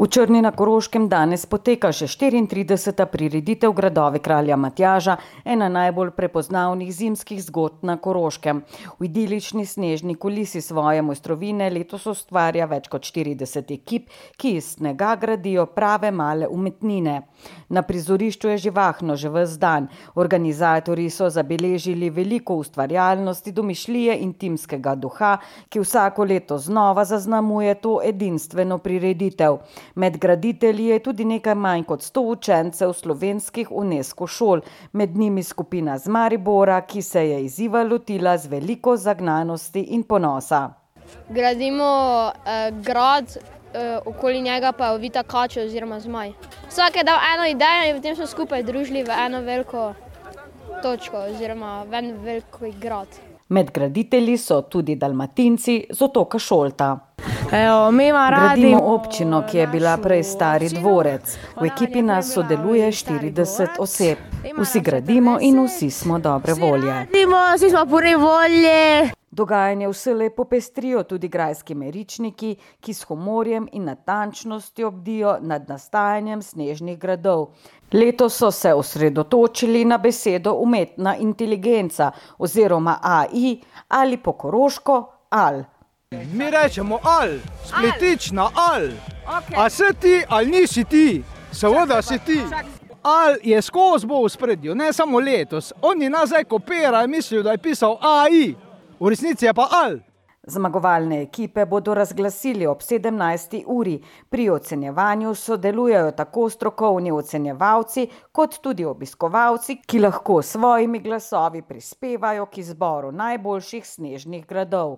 V Črni na Koroškem danes poteka še 34. prireditev Gradovi kralja Matjaža, ena najbolj prepoznavnih zimskih zgodb na Koroškem. V idilični snežni kulisi svoje mojstrovine letos ustvarja več kot 40 ekip, ki iz snega gradijo prave male umetnine. Na prizorišču je živahno že ves dan. Organizatorji so zabeležili veliko ustvarjalnosti, domišljije in timskega duha, ki vsako leto znova zaznamuje to edinstveno prireditev. Med graditelji je tudi nekaj manj kot 100 učencev slovenskih UNESCO šol, med njimi skupina z Maribora, ki se je izziva lotila z veliko zagnanosti in ponosa. Gradimo grad, okoli njega pa je ovita kača oziroma zmaj. Vsak je dal eno idejo in potem smo skupaj združili v eno veliko točko oziroma v en velik grad. Med graditelji so tudi Dalmatinci z otoka Šolta. Gradimo občino, ki je bila prej stari dvorec. V ekipi nas sodeluje 40 oseb. Vsi gradimo in vsi smo dobre volje. Vsi smo pune volje. Dogajanje vselej popestrijo tudi grajski meričniki, ki s humorjem in natančnostjo bdijo nad nastajanjem snežnih gradov. Letos so se osredotočili na besedo umetna inteligenca oziroma AI ali po koroško AL. Mi rečemo al, spletična al. A si ti ali nisi ti? Seveda si ti. Al je skozi bo v spredju, ne samo letos. Oni nazaj kopirajo in mislijo, da je pisal AI. V resnici je pa al. Zmagovalne ekipe bodo razglasili ob 17. uri. Pri ocenjevanju sodelujejo tako strokovni ocenjevalci kot tudi obiskovalci, ki lahko s svojimi glasovi prispevajo k izboru najboljših snežnih gradov.